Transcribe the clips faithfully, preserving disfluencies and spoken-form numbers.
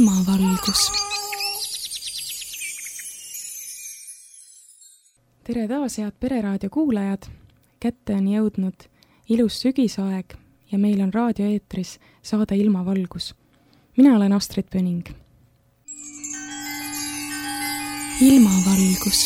ilmavalgus. Tere taas, head Pereraadio kuulajad! Kätte on jõudnud ilus sügisaeg ja meil on raadioeetris saade Ilmavalgus. Mina olen Astrid Pöning. Ilmavalgus.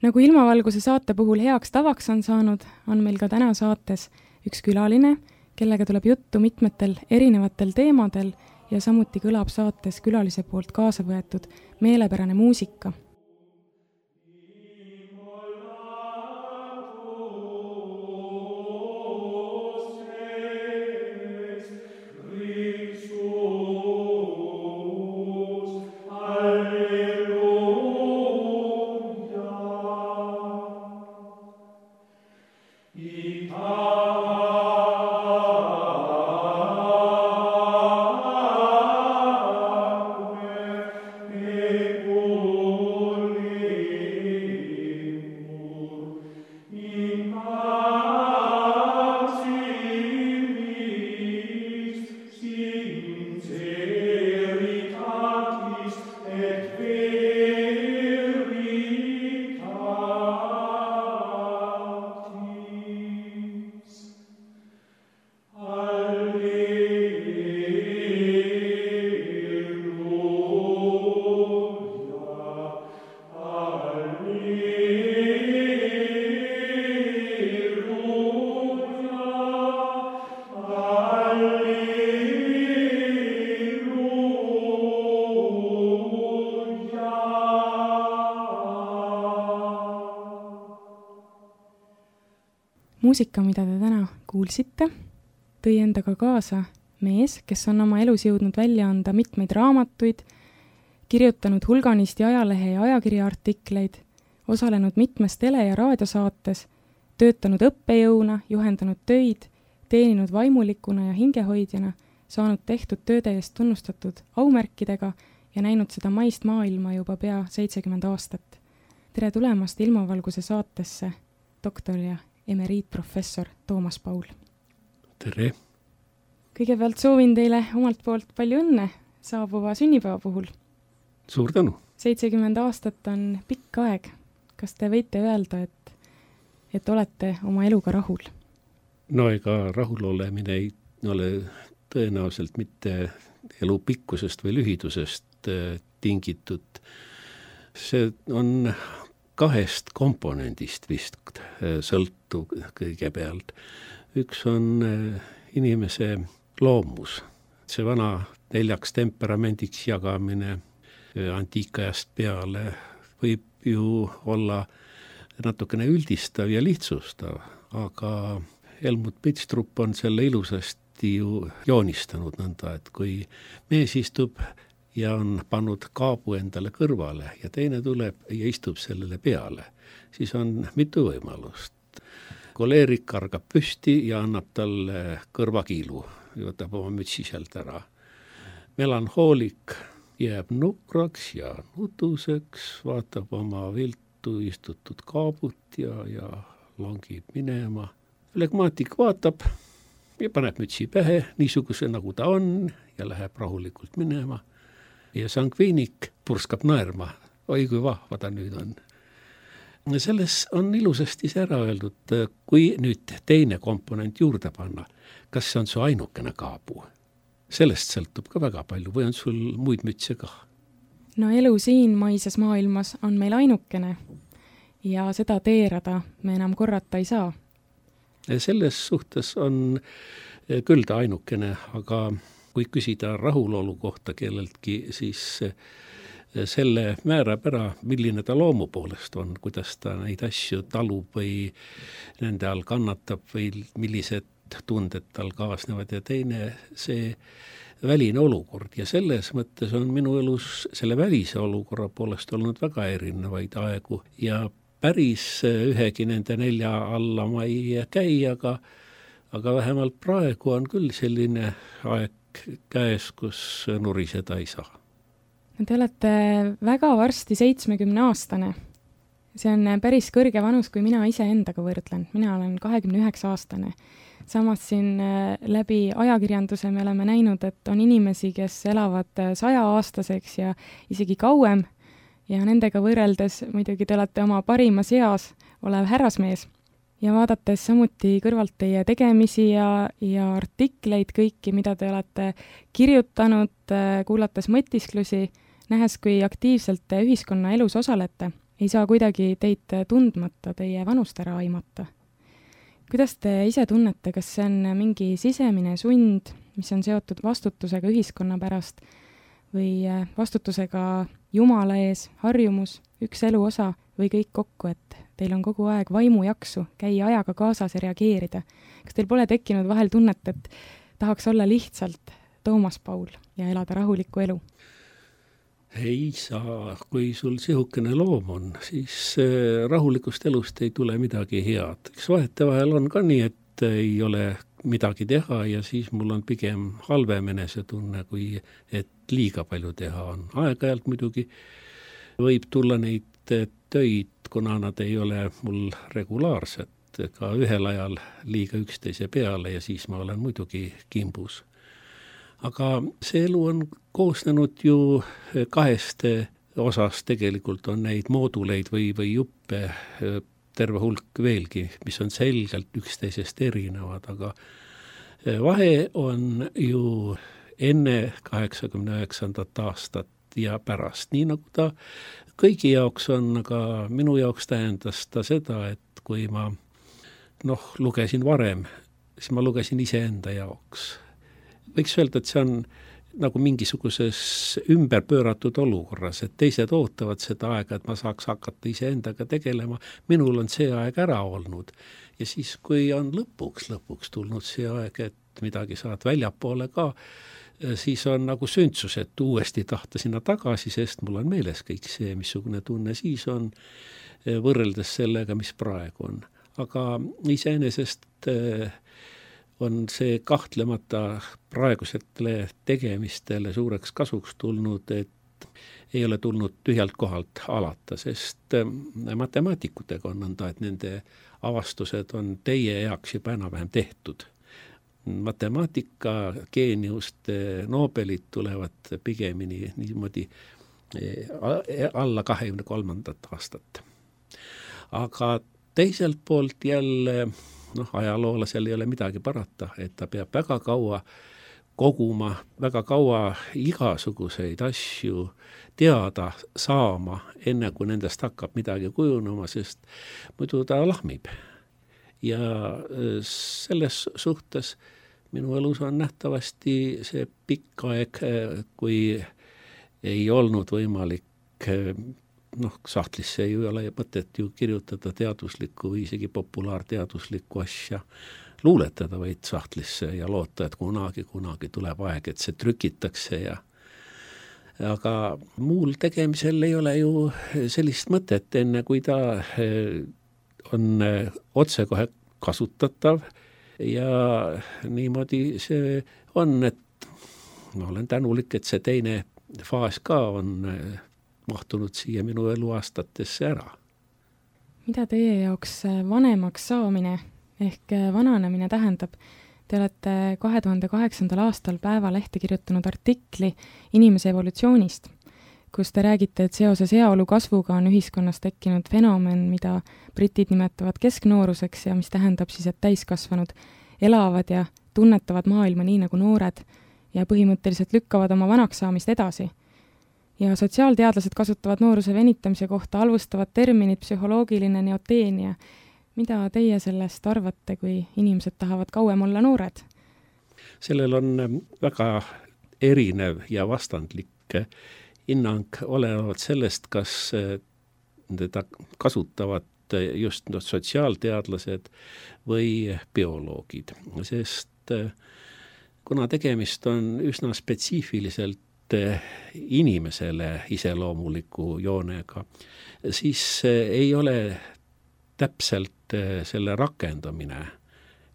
Nagu Ilmavalguse saate puhul heaks tavaks on saanud, on meil ka täna saates üks külaline, kellega tuleb juttu mitmetel erinevatel teemadel ja samuti kõlab saates külalise poolt kaasa võetud meelepärane muusika. Muusika, mida te täna kuulsite, tõi endaga kaasa mees, kes on oma elus jõudnud välja anda mitmeid raamatuid, kirjutanud hulganisti ajalehe ja ajakirja artikleid, osalenud mitmes tele- ja raadiosaates, töötanud õppejõuna, juhendanud töid, teeninud vaimulikuna ja hingehoidjana, saanud tehtud tööde eest tunnustatud aumärkidega ja näinud seda maist maailma juba pea seitsekümmend aastat. Tere tulemast Ilmavalguse saatesse, doktor ja emeriitprofessor Toomas Paul. Tere! Kõigepealt soovin teile omalt poolt palju õnne saabuva sünnipäeva puhul. Suur tänu! seitsekümmend aastat on pikk aeg. Kas te võite öelda, et, et olete oma eluga rahul? No ega rahul olemine ei ole tõenäoliselt mitte elu pikkusest või lühidusest tingitud. See on kahest komponendist vist sõltub kõigepealt. Üks on inimese loomus. See vana neljaks temperamendiks jagamine antiikajast peale võib ju olla natukene üldistav ja lihtsustav, aga Helmut Pitstrup on selle ilusasti ju joonistanud nõnda, et kui mees istub ja on pannud kaabu endale kõrvale ja teine tuleb ja istub sellele peale, siis on mitu võimalust. Koleerik kargab püsti ja annab talle kõrvakiilu, võtab oma mütsi sealt ära. Melanhoolik jääb nukraks ja nutuseks, vaatab oma viltu istutud kaabut ja, ja langib minema. Flegmaatik vaatab ja paneb mütsi pähe, niisuguse nagu ta on ja läheb rahulikult minema. Ja sangviinik purskab naerma, oi kui vahva ta nüüd on. Selles on ilusasti see ära öeldud, kui nüüd teine komponent juurde panna, kas see on su ainukene kaabu? Sellest sõltub ka väga palju või on sul muid mütse ka? No elu siin maises maailmas on meil ainukene ja seda teerada me enam korrata ei saa. Selles suhtes on küll ta ainukene, aga kui küsida rahulolu kohta kelleltki, siis selle määrab ära, milline ta loomu poolest on, kuidas ta neid asju talub või nende all kannatab või millised tunded tal kaasnevad ja teine see väline olukord. Ja selles mõttes on minu elus selle välise olukorra poolest olnud väga erinevaid aegu ja päris ühegi nende nelja alla ma ei käi, aga, aga vähemalt praegu on küll selline aeg käes, kus nuriseda ei saa. Te olete väga varsti seitsmekümne aastane see on päris kõrge vanus, kui mina ise endaga võrdlen. Mina olen kahekümne üheksa aastane. Samas siin läbi ajakirjanduse me oleme näinud, et on inimesi, kes elavad saja aastaseks ja isegi kauem ja nendega võrreldes muidugi te olete oma parimas eas olev härrasmees. Ja vaadates samuti kõrvalt teie tegemisi ja, ja artikleid kõiki, mida te olete kirjutanud, kuulates mõtisklusi, nähes, kui aktiivselt te ühiskonna elus osalete, ei saa kuidagi teid tundmata teie vanust ära aimata. Kuidas te ise tunnete, kas see on mingi sisemine sund, mis on seotud vastutusega ühiskonna pärast või vastutusega Jumala ees, harjumus, üks elu osa või kõik kokku, et teil on kogu aeg vaimu jaksu käia ajaga kaasas ja reageerida? Kas teil pole tekkinud vahel tunnet, et tahaks olla lihtsalt Toomas Paul ja elada rahulikku elu? Ei saa, kui sul sihukene loom on, siis rahulikust elust ei tule midagi head. Eks vahete vahel on ka nii, et ei ole midagi teha ja siis mul on pigem halvem enesetunne, kui et liiga palju teha on. Aeg-ajalt muidugi võib tulla neid töid, kuna nad ei ole mul regulaarsed, ka ühel ajal liiga üksteise peale ja siis ma olen muidugi kimbus. Aga see elu on koosnenud ju kahest osast, tegelikult on neid mooduleid või, või juppe terve hulk veelgi, mis on selgelt üksteisest erinevad, aga vahe on ju enne kaheksakümne üheksandat aastat ja pärast, nii nagu ta kõigi jaoks on, aga minu jaoks tähendas ta seda, et kui ma noh, lugesin varem, siis ma lugesin iseenda jaoks. Võiks öelda, et see on nagu mingisuguses ümberpööratud olukorras, et teised ootavad seda aega, et ma saaks hakata iseendaga tegelema. Minul on see aeg ära olnud. Ja siis, kui on lõpuks, lõpuks tulnud see aeg, et midagi saad väljapoole ka, siis on nagu süntsus, et uuesti tahta sinna tagasi, sest mul on meeles kõik see, missugune tunne siis on võrreldes sellega, mis praegu on. Aga iseenesest on see kahtlemata praegusetele tegemistele suureks kasuks tulnud, et ei ole tulnud tühjalt kohalt alata, sest matemaatikutega on nõnda, et nende avastused on teie heaks juba enam-vähem tehtud. Matemaatika geeniuste Nobelid tulevad pigemini niimoodi alla kahekümne kolmandat aastat. Aga teiselt poolt jälle noh, ajaloolasel ei ole midagi parata, et ta peab väga kaua koguma, väga kaua igasuguseid asju teada saama, enne kui nendest hakkab midagi kujunema, sest muidu ta lahmib. Ja selles suhtes minu elus on nähtavasti see pikk aeg, kui ei olnud võimalik noh, sahtlisse ei ole mõtet ju kirjutada teaduslikku või isegi populaarteaduslikku asja, luuletada vaid sahtlisse ja loota, et kunagi, kunagi tuleb aeg, et see trükitakse ja aga muul tegemisel ei ole ju sellist mõtet, enne kui ta on otsekohe kasutatav ja niimoodi see on, et ma olen tänulik, et see teine faas ka on mahtunud siia minu eluaastatesse ära. Mida teie jaoks vanemaks saamine ehk vananemine tähendab? Te olete kahe tuhande kaheksandal aastal Päevalehte kirjutanud artikli inimese evolutsioonist, kus te räägite, et seoses heaolu kasvuga on ühiskonnas tekkinud fenomen, mida britid nimetavad kesknooruseks ja mis tähendab siis, et täiskasvanud elavad ja tunnetavad maailma nii nagu noored ja põhimõtteliselt lükkavad oma vanaks saamist edasi. Ja sotsiaalteadlased kasutavad nooruse venitamise kohta halvustavat terminit psühholoogiline neoteenia. Mida teie sellest arvate, kui inimesed tahavad kauem olla noored? Sellel on väga erinev ja vastandlik hinnang olenevalt sellest, kas teda kasutavad just sotsiaalteadlased või bioloogid. Sest kuna tegemist on üsna spetsiifiliselt inimesele iseloomuliku joonega, siis ei ole täpselt selle rakendamine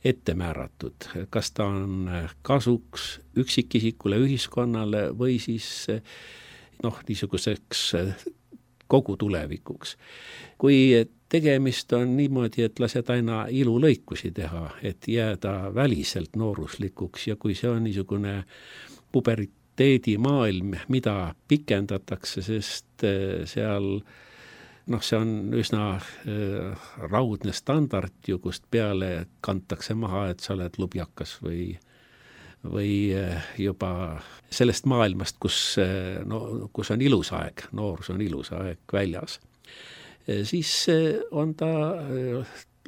ette määratud, kas ta on kasuks üksikisikule, ühiskonnale või siis noh, niisuguseks kogu tulevikuks. Kui tegemist on niimoodi, et lased aina ilulõikusi teha, et jääda väliselt nooruslikuks ja kui see on niisugune puberteedimaailm, mida pikendatakse, sest seal noh, see on üsna äh, raudne standard ju, kust peale kantakse maha, et sa oled lubjakas või või juba sellest maailmast, kus, no, kus on ilus aeg, noorus on ilus aeg väljas. Siis on ta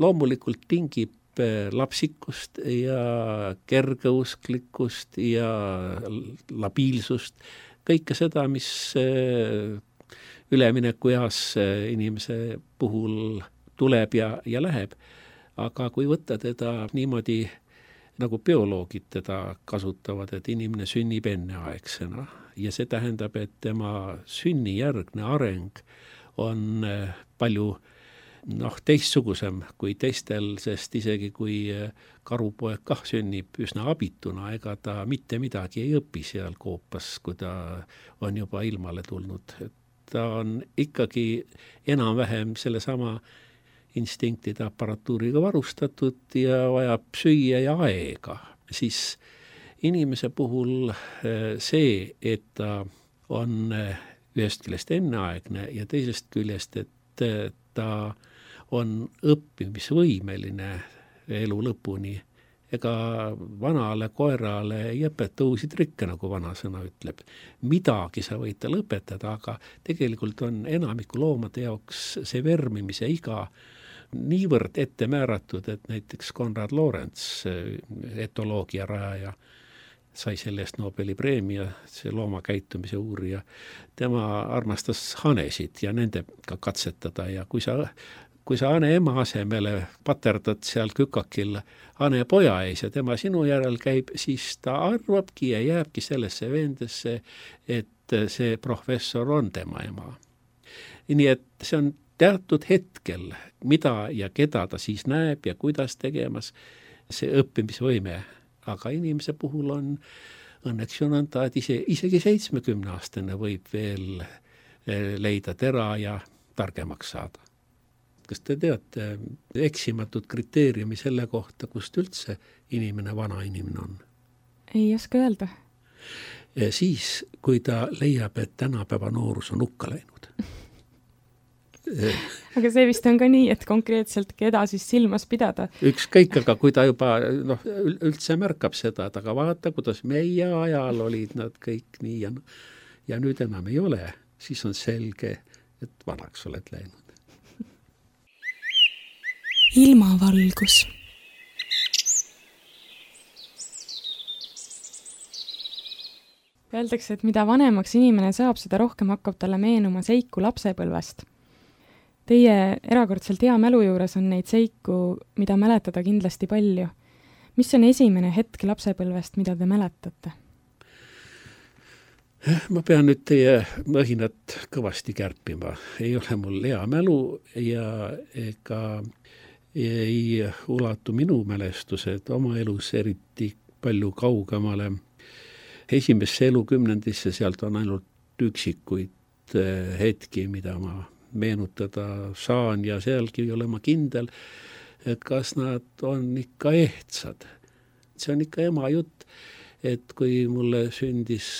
loomulikult tingib lapsikust ja kergeusklikkust ja labiilsust, kõike seda, mis ülemineku eas inimese puhul tuleb ja, ja läheb. Aga kui võtta teda niimoodi nagu bioloogid teda kasutavad, et inimene sünnib enneaegsena ja see tähendab, et tema sünnijärgne areng on palju noh, teistsugusem kui teistel, sest isegi kui karupoeg kah sünnib üsna abituna, ega ta mitte midagi ei õpi seal koopas, kui ta on juba ilmale tulnud. Ta on ikkagi enam-vähem sellesama instinktide aparatuuriga varustatud ja vajab süüa ja aega, siis inimese puhul see, et ta on ühest küljest enneaegne ja teisest küljest, et ta on õppimisvõimeline elu lõpuni, ega vanale koerale ei õpeta uusi trikke, nagu vanasõna ütleb. Midagi sa võid tal õpetada, aga tegelikult on enamiku loomade jaoks see vermimise iga niivõrd ette määratud, et näiteks Konrad Lorenz, etoloogia rajaja, sai sellest Nobeli preemia, see loomakäitumise uurija. Tema armastas hanesid ja nendega katsetada ja kui sa, kui sa hane ema asemele paterdad seal kükakil hane poja ees ja tema sinu järel käib, siis ta arvabki ja jääbki sellesse veendesse, et see professor on tema ema. Nii et see on teatud hetkel, mida ja keda ta siis näeb ja kuidas tegemas, see õppimisvõime. Aga inimese puhul on õnneks ju nõnda, et ise, isegi seitsmekümne aastane võib veel leida tera ja targemaks saada. Kas te teate eksimatut kriteeriumi selle kohta, kust üldse inimene, vana inimene on? Ei oska öelda. Siis, kui ta leiab, et tänapäeva noorus on hukka läinud. Aga see vist on ka nii, et konkreetselt keda siis silmas pidada. Ükskõik, aga kui ta juba noh, üldse märkab seda, et aga vaata, kuidas meie ajal olid nad kõik nii ja, ja nüüd enam ei ole, siis on selge, et vanaks oled läinud. Ilmavalgus. Öeldakse, et mida vanemaks inimene saab, seda rohkem hakkab talle meenuma seiku lapsepõlvest. Teie erakordselt hea mälu juures on neid seiku, mida mäletada kindlasti palju. Mis on esimene hetk lapsepõlvest, mida te mäletate? Ma pean nüüd teie mõhinat kõvasti kärpima. Ei ole mul hea mälu ja ega ei ulatu minu mälestused oma elus eriti palju kaugemale. Esimesse elukümnendisse sealt on ainult üksikuid hetki, mida ma meenutada saan ja sealgi ei ole ma kindel, kas nad on ikka ehtsad. See on ikka ema jutt, et kui mulle sündis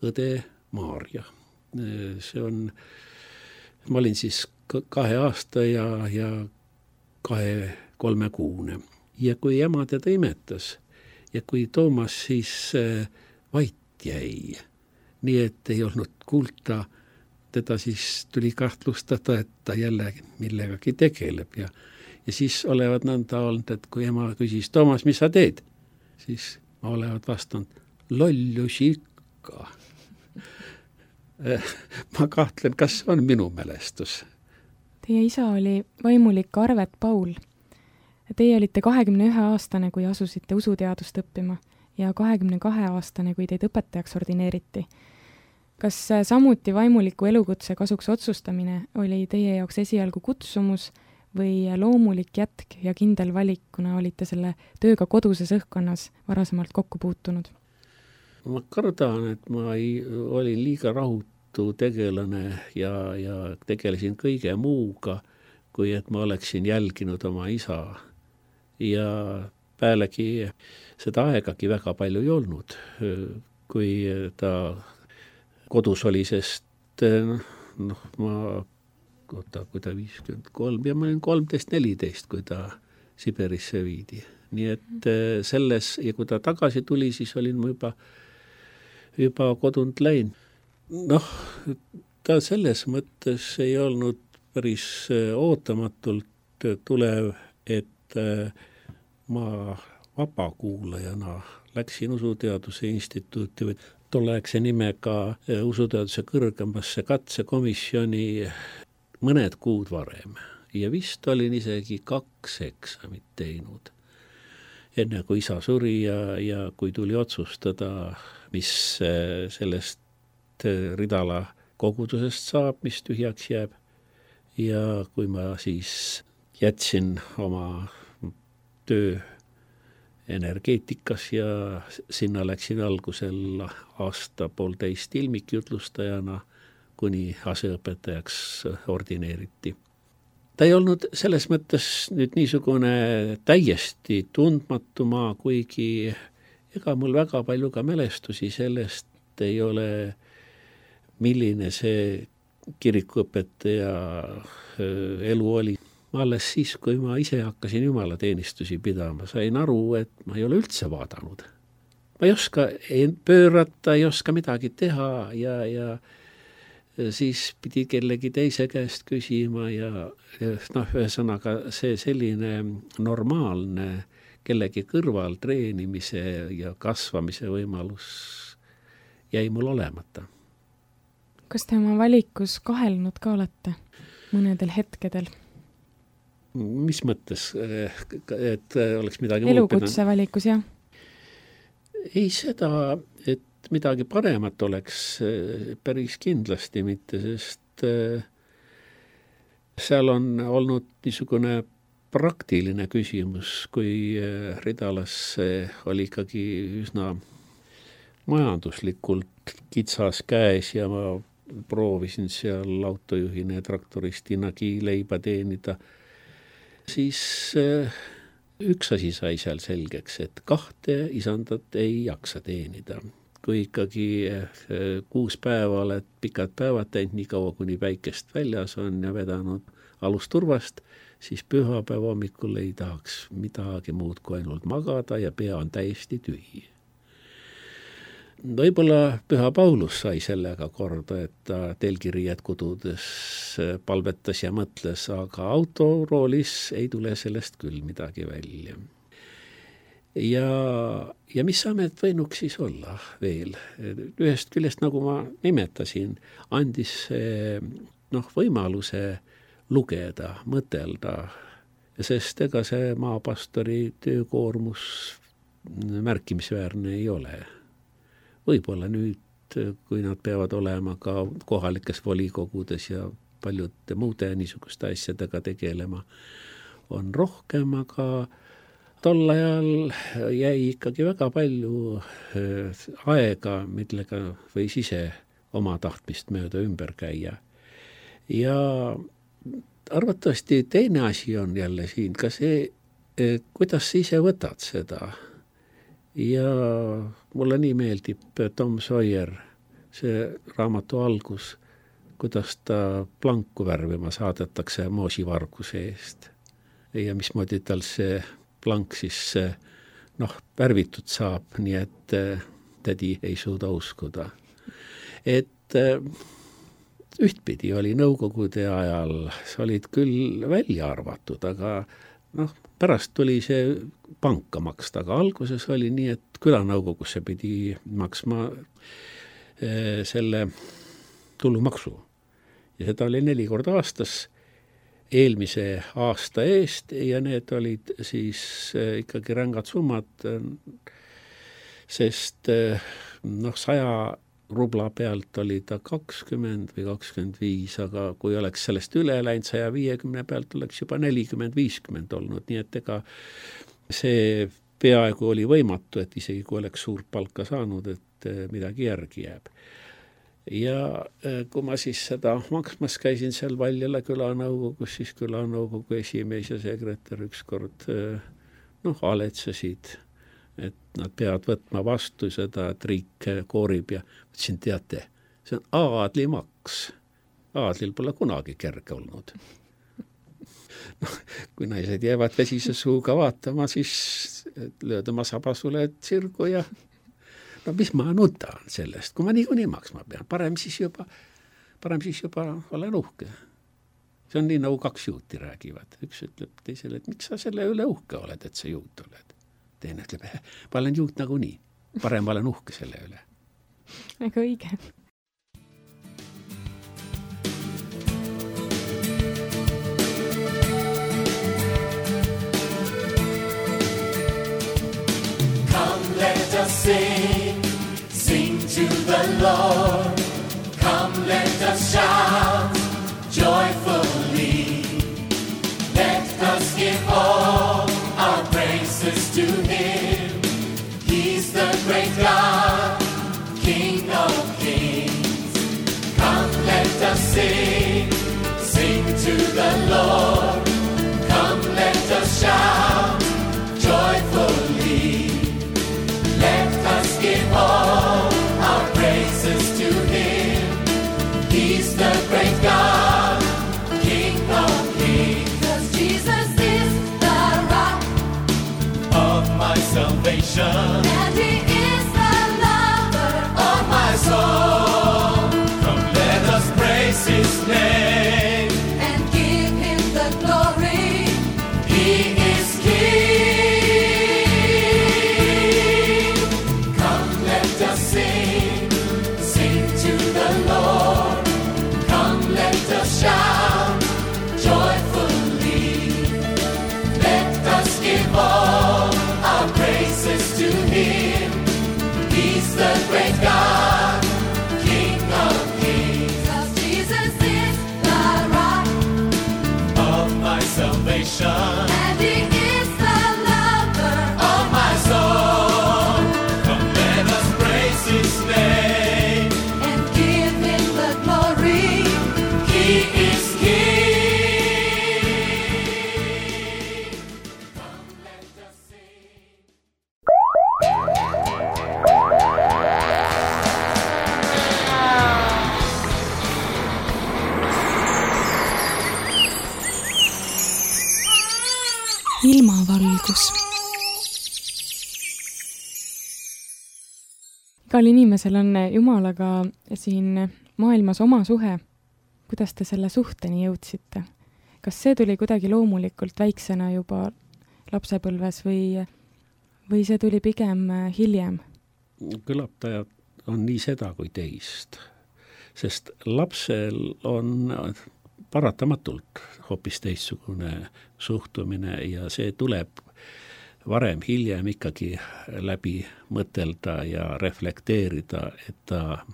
õde Maarja, see on, ma olin siis kahe aasta ja, ja kahe kolme kuune ja kui ema teda imetas ja kui Toomas siis vait jäi, nii et ei olnud kuulta, teda siis tuli kahtlustada, et ta jälle millegagi tegeleb ja, ja siis olevat nõnda olnud, et kui ema küsis, Toomas, mis sa teed? Siis ma olevat vastanud, lollusi ikka. Ma kahtlen, kas on minu mälestus. Teie isa oli vaimulik Arvet Paul. Teie olite kahekümne ühe aastane, kui asusite usuteadust õppima ja kahekümne kahe aastane, kui teid õpetajaks ordineeriti. Kas samuti vaimuliku elukutse kasuks otsustamine oli teie jaoks esialgu kutsumus või loomulik jätk ja kindel valik, kuna olite selle tööga koduses õhkkonnas varasemalt kokku puutunud? Ma kardan, et ma ei, olin liiga rahut olematu tegelane ja, ja tegelesin kõige muuga, kui et ma oleksin jälginud oma isa. Ja pealegi seda aegagi väga palju ei olnud, kui ta kodus oli, sest noh, ma oota, kui ta viiskümmend kolm ja ma olin kolmteist neliteist, kui ta Siberisse viidi. Nii et selles, ja kui ta tagasi tuli, siis olin ma juba, juba kodunt läinud. Noh, ta selles mõttes ei olnud päris ootamatult tulev, et ma vabakuulajana läksin Usuteaduse instituuti või tolleaegse nimega Usuteaduse kõrgemasse katsekomisjoni mõned kuud varem ja vist olin isegi kaks eksamit teinud. Enne kui isa suri ja, ja kui tuli otsustada, mis sellest Ridala kogudusest saab, mis tühjaks jääb. Ja kui ma siis jätsin oma töö energeetikas ja sinna läksin algusel aasta poolteist ilmikjutlustajana, kuni aseõpetajaks ordineeriti. Ta ei olnud selles mõttes nüüd niisugune täiesti tundmatu maa, kuigi ega mul väga palju ka mälestusi sellest ei ole, milline see kirikuõpetaja elu oli. Ma alles siis, kui ma ise hakkasin jumalateenistusi pidama, sain aru, et ma ei ole üldse vaadanud. Ma ei oska ei pöörata, ei oska midagi teha ja, ja siis pidi kellegi teise käest küsima ja, ja noh, ühesõnaga see selline normaalne kellegi kõrval treenimise ja kasvamise võimalus jäi mul olemata. Kas te oma valikus kahelnud ka olete mõnedel hetkedel? Mis mõttes, et oleks midagi elukutse valikus, jah? Ei seda, et midagi paremat oleks päris kindlasti mitte, sest seal on olnud niisugune praktiline küsimus, kui Ridalas oli ikkagi üsna majanduslikult kitsas käes ja ma proovisin seal autojuhina ja traktoristinagi leiba teenida, siis üks asi sai seal selgeks, et kahte isandat ei jaksa teenida. Kui ikkagi kuus päeva oled pikad päevad teinud nii kaua, kuni päikest väljas on ja vedanud alusturvast, siis pühapäeva hommikul ei tahaks midagi muud kui ainult magada ja pea on täiesti tühi. Võib-olla Püha Paulus sai sellega korda, et ta telgiriied kududes palvetas ja mõtles, aga autoroolis ei tule sellest küll midagi välja. Ja, ja mis amet võinuks siis olla veel? Ühest küljest, nagu ma nimetasin, andis noh, võimaluse lugeda, mõtelda, sest ega see maapastori töökoormus märkimisväärne ei ole. Võib-olla nüüd, kui nad peavad olema ka kohalikes volikogudes ja paljude muude niisuguste asjadega tegelema, on rohkem, aga tol ajal jäi ikkagi väga palju aega, millega võis ise oma tahtmist mööda ümber käia. Ja arvatavasti teine asi on jälle siin ka see, kuidas sa ise võtad seda. Ja mulle nii meeldib Tom Sawyer, see raamatu algus, kuidas ta planku värvima saadetakse moosivarguse eest. Ja mismoodi tal see plank siis noh, värvitud saab, nii et tädi ei suuda uskuda. Et ühtpidi oli nõukogude ajal, sa olid küll välja arvatud, aga noh, pärast tuli see panka maksta, aga alguses oli nii, et külanõukogusse pidi maksma selle tulumaksu. Ja seda oli neli korda aastas eelmise aasta eest ja need olid siis ikkagi rängad summad, sest noh, saja rubla pealt oli ta kakskümmend või kakskümmend viis, aga kui oleks sellest üle läinud saja viiekümne pealt, oleks juba nelikümmend viiskümmend olnud, nii et ega see peaaegu oli võimatu, et isegi kui oleks suurt palka saanud, et midagi järgi jääb. ja kui ma siis seda maksmas käisin seal Valjala külanõukogus, siis külanõukogu esimees ja sekretär ükskord noh, aletsesid, et nad peavad võtma vastu seda, et riik koorib ja mõtlesin, teate, see on aadlimaks. Aadlil pole kunagi kerge olnud. No, kui naised jäävad vesise suuga vaatama, siis lööd oma sabasule sirgu ja no mis ma nutan sellest, kui ma niikuinii maksma pean, parem siis juba, parem siis juba olen uhke. See on nii nagu kaks juuti räägivad. Üks ütleb teisele, et miks sa selle üle uhke oled, et sa juut oled. Teine ütleb, ma olen juut nagu nii, parem olen uhke selle üle. Väga õige. Let us sing, sing to the Lord. Come, let us shout joyfully. Let us give all our praises to Him. He's the great God, King of kings. Come, let us sing, sing to the Lord. Come, let us shout joyfully. Let us give all our praises to Him. He's the great God, King of kings. 'Cause Jesus is the rock of my salvation, and He is the lover of my soul. Come, let us praise His name and give Him the glory. He is King. Shout joyfully. Let us give all our praises to Him. He's the great God, King of kings. 'Cause Jesus is the rock of my salvation, and He is the lover of my soul. Come, let us praise His name and give Him the glory. He is King. Come, let us sing. Ilmavalgus. Igal inimesel on Jumalaga siin maailmas oma suhe. Kuidas te selle suhteni jõudsite? Kas see tuli kuidagi loomulikult väiksena juba lapsepõlves või, või see tuli pigem hiljem? Kõlaptajad on nii seda kui teist, sest lapsel on paratamatult hoopis teistsugune suhtumine ja see tuleb varem hiljem ikkagi läbi mõtelda ja reflekteerida, et ta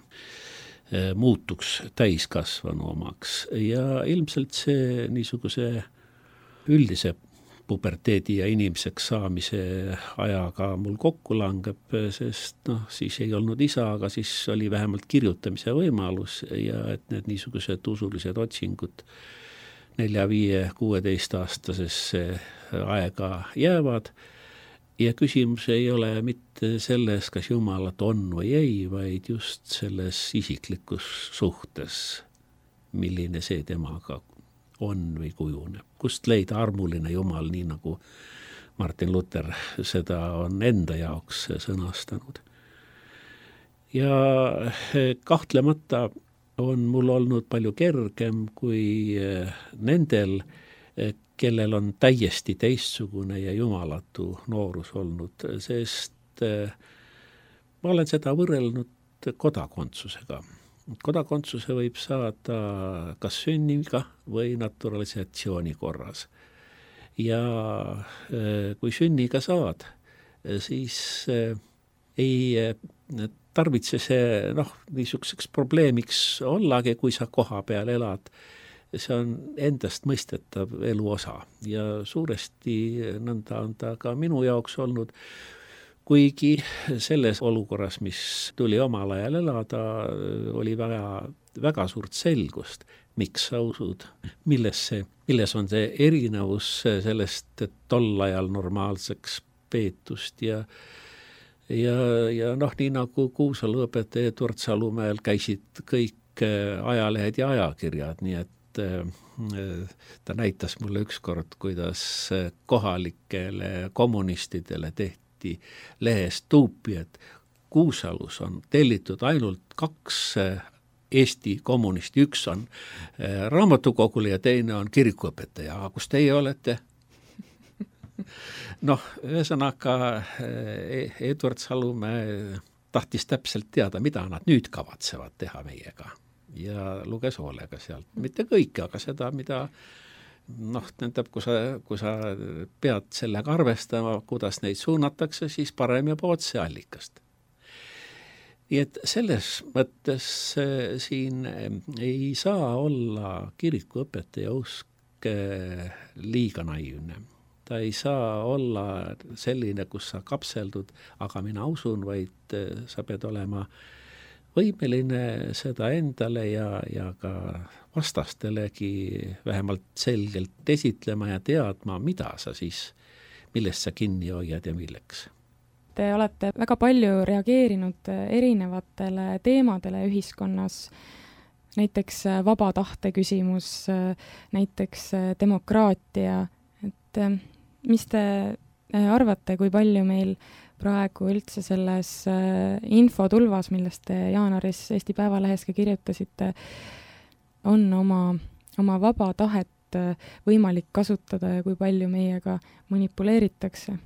muutuks täiskasvanu omaks ja ilmselt see niisuguse üldise puberteedi ja inimeseks saamise ajaga mul kokku langeb, sest noh, siis ei olnud isa, aga siis oli vähemalt kirjutamise võimalus ja et need niisugused usulised otsingud nelja, viie, kuueteist aastasesse aega jäävad. Ja küsimus ei ole mitte selles, kas Jumalat on või ei, vaid just selles isiklikus suhtes, milline see temaga on või kujuneb. Kust leida armuline Jumal, nii nagu Martin Luther seda on enda jaoks sõnastanud. Ja kahtlemata on mul olnud palju kergem kui nendel, kellel on täiesti teistsugune ja jumalatu noorus olnud, sest ma olen seda võrrelnud kodakondsusega. Kodakondsuse võib saada kas sünniga või naturalisatsiooni korras. Ja kui sünniga saad, siis ei tarvitse see noh, niisuguseks probleemiks ollagi, kui sa koha peal elad. See on endast mõistetav elu osa ja suuresti nõnda on ta ka minu jaoks olnud. kuigi selles olukorras, mis tuli omal ajal elada, oli väga, väga suurt selgust, miks sa usud, milles, see, milles on see erinevus sellest, et tol ajal normaalseks peetust ja ja, ja noh, nii nagu Kuusalu õpetaja Edward Salumäel käisid kõik ajalehed ja ajakirjad, nii et ta näitas mulle ükskord, kuidas kohalikele kommunistidele tehti lehest tuupi, et Kuusalus on tellitud ainult kaks Eesti kommunisti, üks on raamatukogule ja teine on kirikuõpetaja, aga kus teie olete? Noh, ühesõnaga Edward Salumäe tahtis täpselt teada, mida nad nüüd kavatsevad teha meiega ja luges hoolega sealt. Mitte kõike, aga seda, mida noh, tähendab, kui sa, kui sa pead sellega arvestama, kuidas neid suunatakse, siis parem juba otse allikast. Nii et selles mõttes siin ei saa olla kirikuõpetaja usk liiga naiivne. Ta ei saa olla selline, kus sa kapseldud, aga mina usun, vaid sa pead olema võimeline seda endale ja, ja ka vastastelegi vähemalt selgelt esitlema ja teadma, mida sa siis, millest sa kinni hoiad ja milleks. Te olete väga palju reageerinud erinevatele teemadele ühiskonnas, näiteks vaba tahte küsimus, näiteks demokraatia, et mis te arvate, kui palju meil praegu üldse selles infotulvas, millest te jaanuaris Eesti Päevalehes ka kirjutasite, on oma, oma vaba tahet võimalik kasutada ja kui palju meiega manipuleeritakse?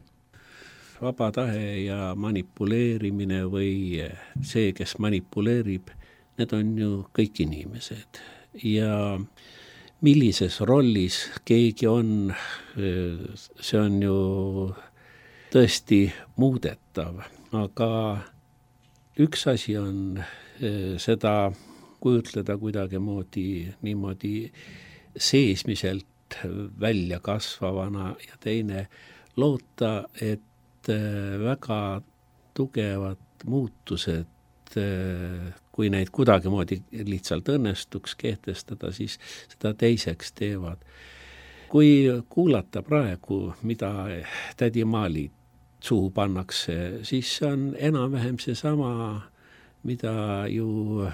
Vaba tahe ja manipuleerimine või see, kes manipuleerib, need on ju kõik inimesed ja millises rollis keegi on, see on ju tõesti muudetav, aga üks asi on seda kujutleda kuidagi moodi, niimoodi seesmiselt välja kasvavana ja teine loota, et väga tugevad muutused, kui neid kuidagimoodi lihtsalt õnnestuks kehtestada, siis seda teiseks teevad. Kui kuulata praegu, mida tädi Maali suhu pannakse, siis see on enam-vähem seesama, mida ju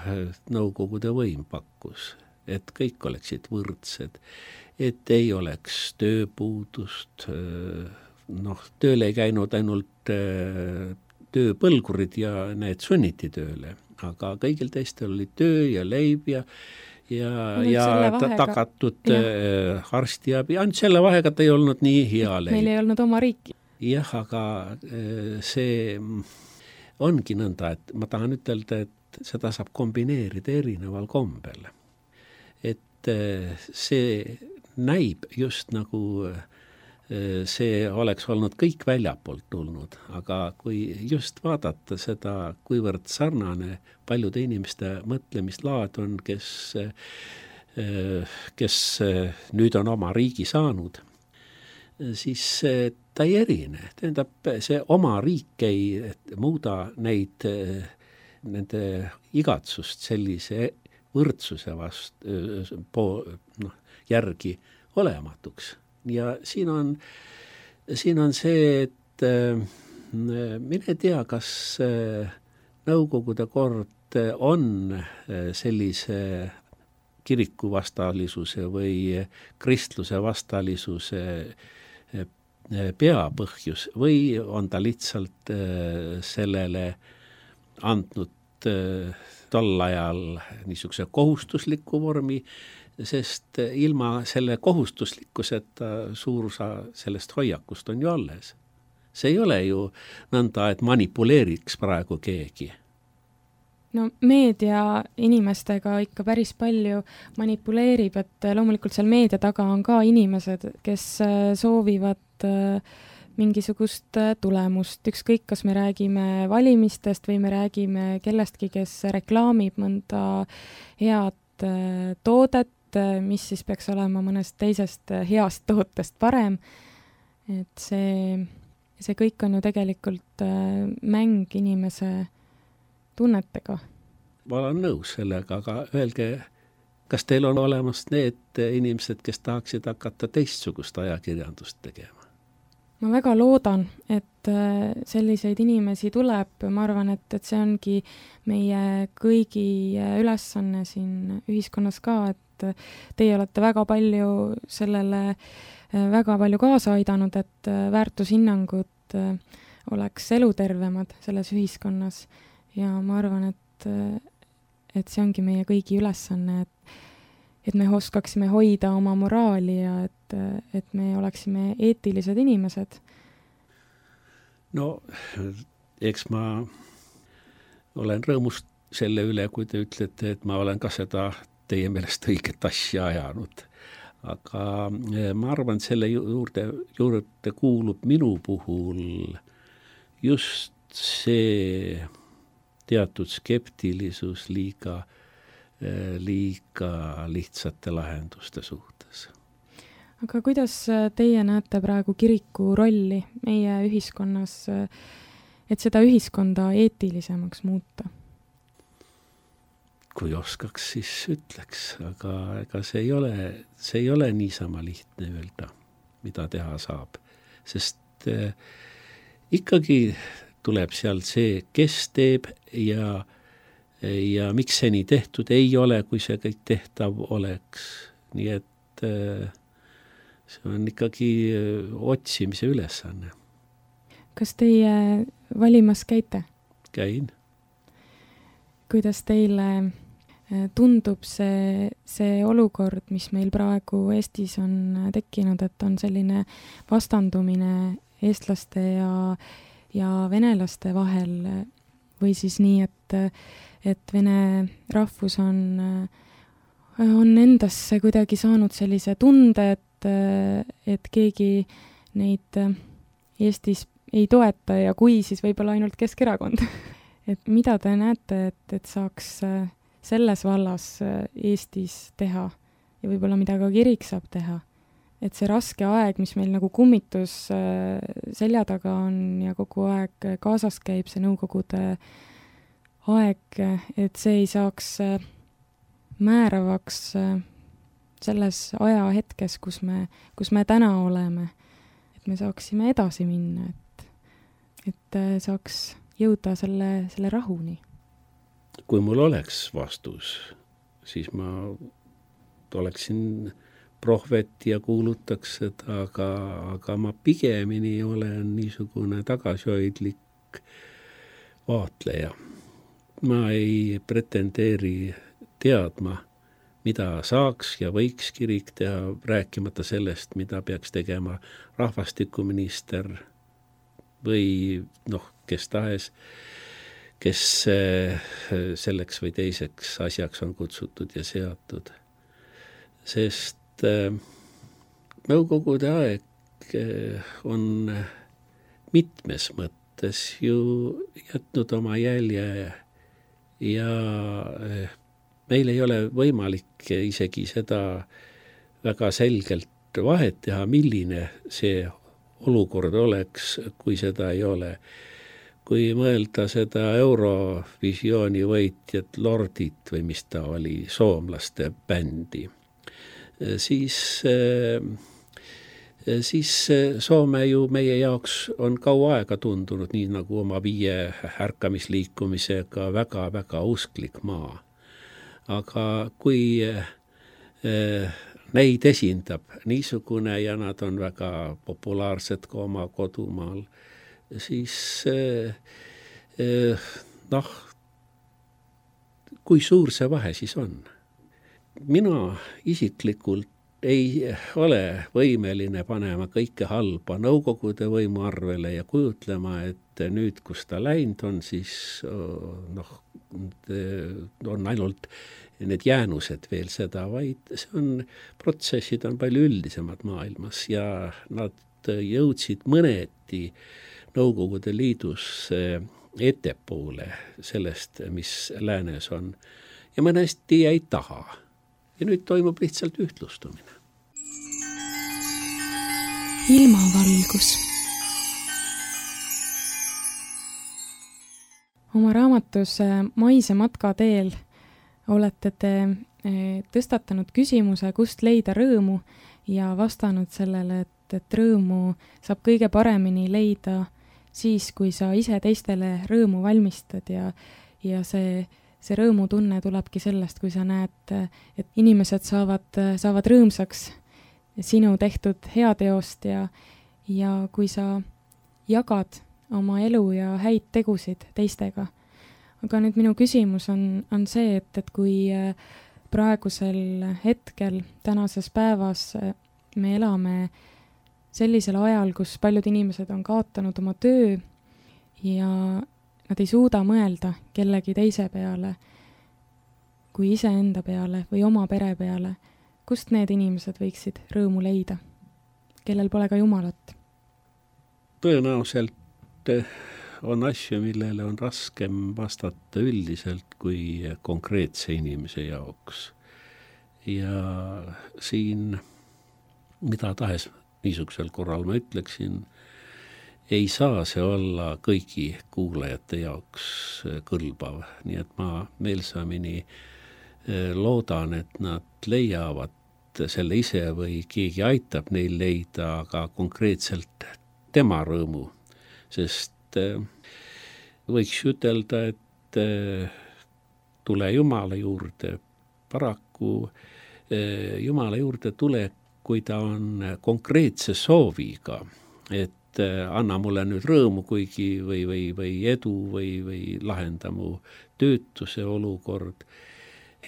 Nõukogude võim pakkus, et kõik oleksid võrdsed, et ei oleks tööpuudust, noh, tööl ei käinud ainult tööpõlgurid ja need sunniti tööle, aga kõigil teistel oli töö ja leib ja, ja, ja ta, tagatud ja. arstiabi. Ainult selle vahega ta ei olnud nii hea leib. Meil ei olnud oma riiki. Jah, aga see ongi nõnda, et ma tahan ütelda, et seda saab kombineerida erineval kombel. Et see näib just nagu see oleks olnud kõik väljapoolt tulnud, aga kui just vaadata seda, kuivõrd sarnane paljude inimeste mõtlemislaad on, kes, kes nüüd on oma riigi saanud, siis ta ei erine. Tähendab, see oma riik ei muuda neid, nende igatsust sellise võrdsuse vast, po, noh, järgi olematuks. Ja siin on, siin on see, et mine tea, kas Nõukogude kord on sellise kiriku vastalisuse või kristluse vastalisuse peapõhjus või on ta lihtsalt sellele andnud tol ajal niisuguse kohustusliku vormi, sest ilma selle kohustuslikkuseta suur osa sellest hoiakust on ju alles. See ei ole ju nõnda, et manipuleeriks praegu keegi. No meedia inimestega ikka päris palju manipuleerib, et loomulikult seal meedia taga on ka inimesed, kes soovivad mingisugust tulemust, ükskõik kas me räägime valimistest või me räägime kellestki, kes reklaamib mõnda head toodet, mis siis peaks olema mõnest teisest heast tootest parem. Et see ja see kõik on ju tegelikult mäng inimese tunnetega. Ma olen nõus sellega, aga öelge, kas teil on olemas need inimesed, kes tahaksid hakata teistsugust ajakirjandust tegema? Ma väga loodan, et selliseid inimesi tuleb. Ma arvan, et, et see ongi meie kõigi ülesanne siin ühiskonnas ka, et teie olete väga palju sellele väga palju kaasa aidanud, et väärtushinnangud oleks elutervemad selles ühiskonnas. Ja ma arvan, et, et see ongi meie kõigi ülesanne, et, et me oskaksime hoida oma moraali ja et, et me oleksime eetilised inimesed. No, eks ma olen rõõmus selle üle, kui te ütlete, et ma olen ka seda teie meelest õiget asja ajanud. Aga ma arvan, et selle juurde, juurde kuulub minu puhul just see teatud skeptilisus liiga, liiga lihtsate lahenduste suhtes. Aga kuidas teie näete praegu kiriku rolli meie ühiskonnas, et seda ühiskonda eetilisemaks muuta? Kui oskaks, siis ütleks, aga ega see ei ole, see ei ole niisama lihtne öelda, mida teha saab. Sest eh, ikkagi tuleb seal see, kes teeb ja, ja miks see nii tehtud ei ole, kui see kõik tehtav oleks. Nii et eh, see on ikkagi otsimise ülesanne. Kas teie valimas käite? Käin. Kuidas teile tundub see, see olukord, mis meil praegu Eestis on tekkinud, et on selline vastandumine eestlaste ja, ja venelaste vahel või siis nii, et, et vene rahvus on, on endasse kuidagi saanud sellise tunde, et et keegi neid Eestis ei toeta ja kui, siis võib-olla ainult Keskerakond. Et mida te näete, et, et saaks selles vallas Eestis teha ja võib-olla mida ka kirik saab teha? Et see raske aeg, mis meil nagu kummitus selja taga on ja kogu aeg kaasas käib see nõukogude aeg, et see ei saaks määravaks selles ajahetkes, kus me, kus me täna oleme, et me saaksime edasi minna, et, et saaks jõuda selle, selle rahuni. Kui mul oleks vastus, siis ma oleksin prohvet ja kuulutaks seda, aga, aga ma pigemini olen niisugune tagasihoidlik vaatleja. Ma ei pretendeeri teadma, mida saaks ja võiks kirik teha, rääkimata sellest, mida peaks tegema rahvastikuminister või noh, kes tahes, kes selleks või teiseks asjaks on kutsutud ja seatud. Sest nõukogude aeg on mitmes mõttes ju jätnud oma jälje ja meil ei ole võimalik isegi seda väga selgelt vahet teha, milline see olukord oleks, kui seda ei ole. Kui mõelda seda Eurovisiooni võitjat Lordit või mis ta oli, soomlaste bändi, siis, siis Soome ju meie jaoks on kaua aega tundunud nii nagu oma viie ärkamisliikumisega väga-väga usklik maa. Aga kui eh, neid esindab niisugune ja nad on väga populaarsed ka oma kodumaal, siis eh, eh, noh, kui suur see vahe siis on? Mina isiklikult ei ole võimeline panema kõike halba nõukogude võimu arvele ja kujutlema, et nüüd, kus ta läinud on, siis noh, on ainult need jäänused veel seda, vaid see on, protsessid on palju üldisemad maailmas ja nad jõudsid mõneti Nõukogude Liidus ettepoole sellest, mis läänes on ja mõnesti jäi taha. Ja nüüd toimub lihtsalt ühtlustumine. Ilmavalgus. Oma raamatus Maise matka teel olete te tõstatanud küsimuse, kust leida rõõmu ja vastanud sellele, et, et rõõmu saab kõige paremini leida siis, kui sa ise teistele rõõmu valmistad ja, ja see, see rõõmutunne tulebki sellest, kui sa näed, et inimesed saavad, saavad rõõmsaks sinu tehtud heateost ja, ja kui sa jagad oma elu ja häid tegusid teistega. Aga nüüd minu küsimus on, on see, et, et kui praegusel hetkel, tänases päevas me elame sellisel ajal, kus paljud inimesed on kaotanud oma töö ja nad ei suuda mõelda kellegi teise peale kui iseenda peale või oma pere peale, kust need inimesed võiksid rõõmu leida, kellel pole ka Jumalat? Tõenäoliselt on asju, millele on raskem vastata üldiselt kui konkreetse inimese jaoks. Ja siin, mida tahes niisugusel korral ma ütleksin, ei saa see olla kõigi kuulajate jaoks kõlbav. Nii et ma meelsamini loodan, et nad leiavad selle ise või keegi aitab neil leida aga konkreetselt tema rõõmu. Sest võiks ütelda, et tule Jumala juurde. Paraku Jumala juurde tule, kui ta on konkreetse sooviga, et anna mulle nüüd rõõmu kuigi või, või, või edu või, või lahenda mu töötuse olukord.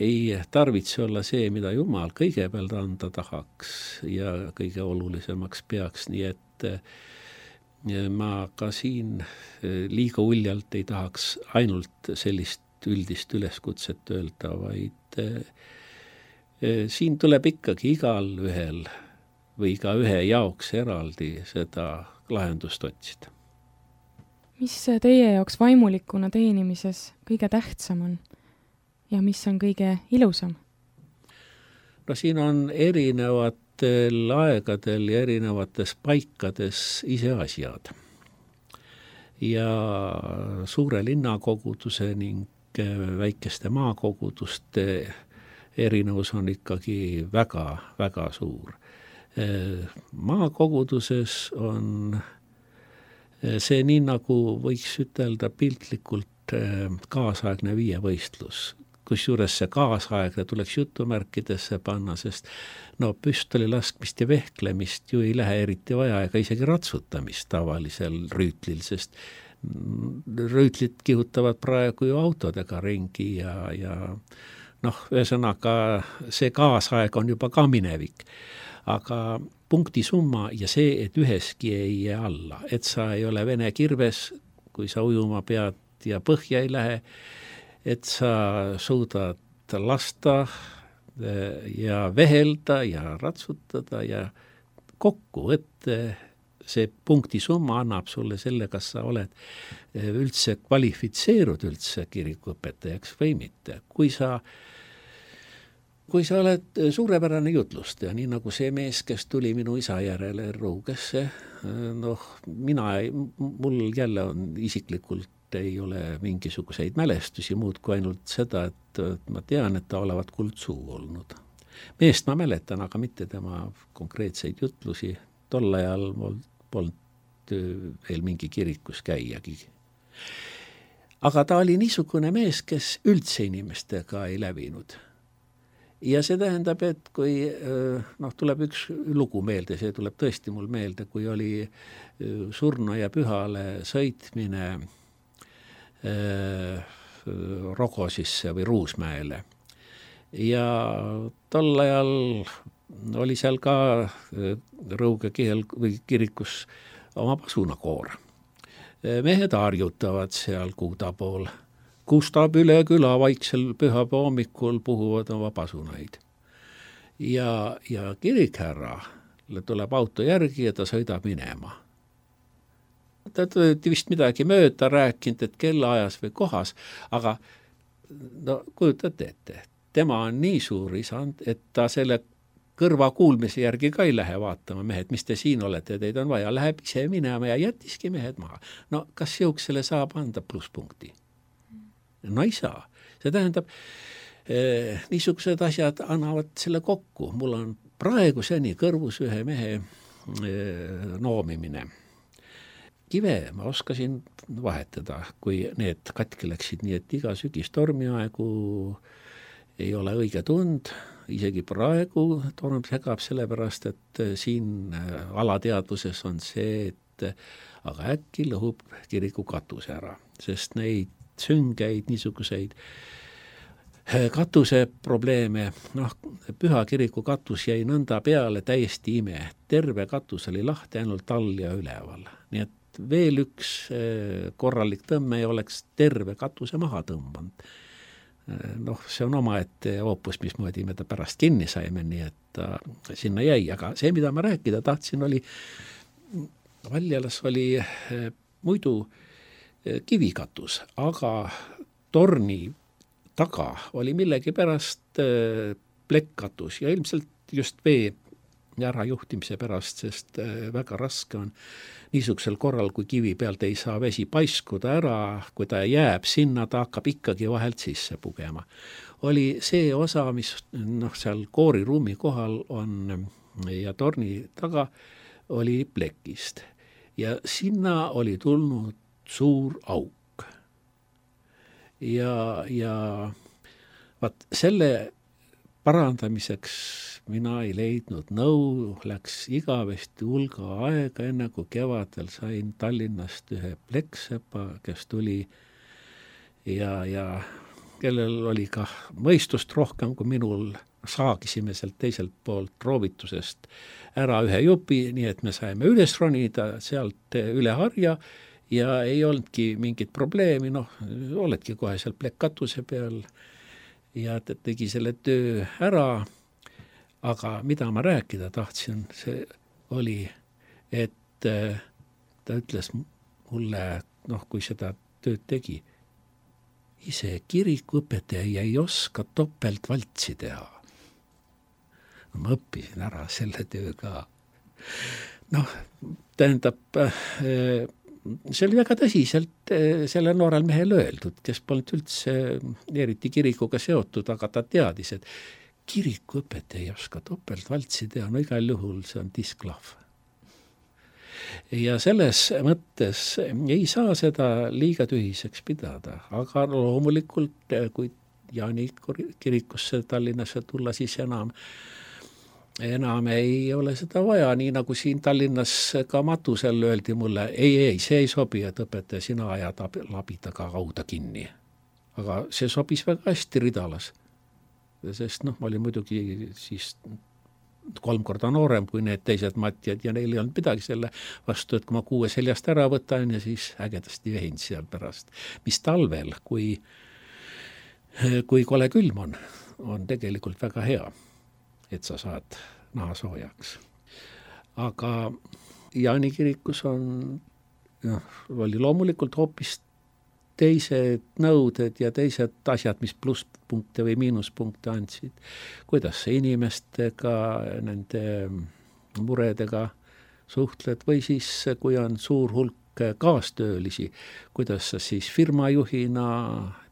Ei tarvitse olla see, mida Jumal kõigepealt anda tahaks ja kõige olulisemaks peaks, nii et ma ka siin liiga uljalt ei tahaks ainult sellist üldist üleskutset öelda, vaid siin tuleb ikkagi igal ühel või iga ühe jaoks eraldi seda lahendust otsida. Mis teie jaoks vaimulikuna teenimises kõige tähtsam on ja mis on kõige ilusam? No siin on erinevad aegadel ja erinevates paikades ise asjad. Ja suure linnakoguduse ning väikeste maakoguduste erinevus on ikkagi väga, väga suur. Maakoguduses on see nii nagu võiks ütelda piltlikult kaasaegne viievõistlus. Kusjuures see kaasaegne tuleks jutumärkidesse panna, sest no püstoli laskmist ja vehklemist ju ei lähe eriti vaja ega isegi ratsutamist tavalisel rüütlil, sest rüütlit kihutavad praegu ju autodega ringi ja, ja noh, ühesõnaga see kaasaeg on juba ka minevik. Aga punkti summa ja see, et üheski ei jää alla, et sa ei ole vene kirves, kui sa ujuma pead ja põhja ei lähe, et sa suudad lasta ja vehelda ja ratsutada ja kokku, et see punkti summa annab sulle selle, kas sa oled üldse kvalifitseerud üldse kirikuõpetajaks või mitte. Kui sa, kui sa oled suurepärane jutlustaja, nii nagu see mees, kes tuli minu isa järele Ruugesse, noh, mina, mul jälle on isiklikult ei ole mingisuguseid mälestusi muud kui ainult seda, et ma tean, et ta olevat kuldsuu olnud. Meest ma mäletan, aga mitte tema konkreetseid jutlusi. Tol ajal mul polnud veel mingi kirikus käiagi. Aga ta oli niisugune mees, kes üldse inimestega ei lävinud. Ja see tähendab, et kui noh, tuleb üks lugu meelde, see tuleb tõesti mul meelde, kui oli surnuaia pühale sõitmine Rogosisse või Ruusmäele. Ja tol ajal oli seal ka Rõuge kihel või kirikus oma pasunakoor. Mehed harjutavad seal Kuuda pool. Kustab üle küla vaiksel pühapea hommikul puhuvad oma pasunaid. Ja, ja kirikherra tuleb auto järgi ja ta sõidab minema. Ta tõi vist midagi mööda rääkinud, et kellaajas või kohas, aga no kujutate ette, tema on nii suur isand, et ta selle kõrva kuulmise järgi ka ei lähe vaatama, mehed, mis te siin olete, teid on vaja, läheb ise minema ja jättiski mehed maha. No kas jõuksele saab anda plusspunkti? no ei saa. See tähendab, niisugused asjad annavad selle kokku. Mul on praegu seni kõrvus ühe mehe noomimine. Kive ma oskasin vahetada, kui need katki läksid, nii et iga sügis tormiaegu ei ole õige tund, isegi praegu torm segab sellepärast, et siin alateadvuses on see, et aga äkki lõhub kiriku katuse ära, sest neid süngeid, niisuguseid katuse probleeme, noh, Püha kiriku katus jäi nõnda peale, täiesti ime. Terve katus oli lahti ainult all ja üleval. Nii et veel üks korralik tõmme ei oleks terve katuse maha tõmbanud. Noh, see on omaette hoopus, mismoodi me ta pärast kinni saime, nii et ta sinna jäi. Aga see, mida ma rääkida tahtsin, oli, Valjalas oli muidu kivikatus, aga torni taga oli millegi pärast plekkkatus ja ilmselt just vee ära juhtimise pärast, sest väga raske on niisugusel korral, kui kivi pealt ei saa vesi paiskuda ära, kui ta jääb sinna, ta hakkab ikkagi vahelt sisse pugema. Oli see osa, mis noh, seal kooriruumi kohal on ja torni taga oli plekist ja sinna oli tulnud suur auk. Ja, ja vaat selle parandamiseks mina ei leidnud nõu, läks igavesti hulga aega, enne kui kevadel sain Tallinnast ühe plekksepa, kes tuli ja, ja kellel oli ka mõistust rohkem kui minul, saagisime sealt teiselt poolt roovitusest ära ühe jupi, nii et me saime üles ronida sealt üle harja ja ei olnudki mingit probleemi, noh, oledki kohe seal plekkatuse peal ja ta tegi selle töö ära, aga mida ma rääkida tahtsin, see oli, et ta ütles mulle, noh, kui seda tööd tegi, ise kirikuõpetaja ei oska topelt valtsi teha. No, ma õppisin ära selle töö ka. Noh, tähendab, see oli väga tõsiselt selle noorel mehel öeldud, kes polnud üldse eriti kirikuga seotud, aga ta teadis, et kirikuõpetaja ei oska topelt valtsi teha, no igal juhul see on disklahv. Ja selles mõttes ei saa seda liiga tühiseks pidada, aga loomulikult, kui Jaani kirikusse Tallinnasse tulla, siis enam enam ei ole seda vaja, nii nagu siin Tallinnas ka Matusel öeldi mulle, ei, ei, see ei sobi, et õpetaja, sina ajad labitaga kauda kinni. Aga see sobis väga hästi Ridalas, sest noh, ma olin muidugi siis kolm korda noorem kui need teised matjad ja neil ei olnud midagi selle vastu, et kui ma kuue seljast ära võtan ja siis ägedasti vehin seal pärast. Mis talvel, kui, kui kole külm on, on tegelikult väga hea, et sa saad naha soojaks. Aga Jaani kirikus on, noh, oli loomulikult hoopis teised nõuded ja teised asjad, mis plusspunkte või miinuspunkte andsid. Kuidas sa inimestega, nende muredega suhtled või siis, kui on suur hulk kaastöölisi, kuidas sa siis firmajuhina,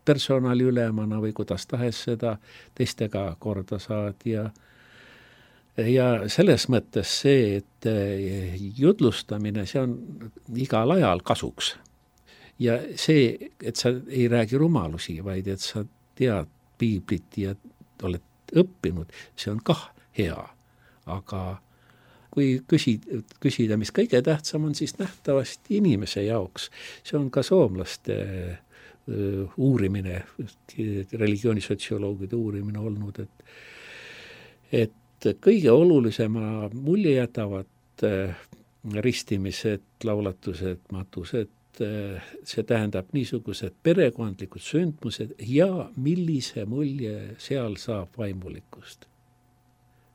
personaliülemana või kuidas tahes seda teistega korda saad ja Ja selles mõttes see, et jutlustamine, see on igal ajal kasuks. Ja see, et sa ei räägi rumalusi, vaid et sa tead piiblit ja oled õppinud, see on kah hea. Aga kui küsida, küsida, mis kõige tähtsam on, siis nähtavasti inimese jaoks. See on ka soomlaste uurimine, religioonisotsioloogide uurimine olnud, et, et kõige olulisema mulje jätavad ristimised, laulatused, matused, see tähendab niisugused perekondlikud sündmused ja millise mulje seal saab vaimulikust.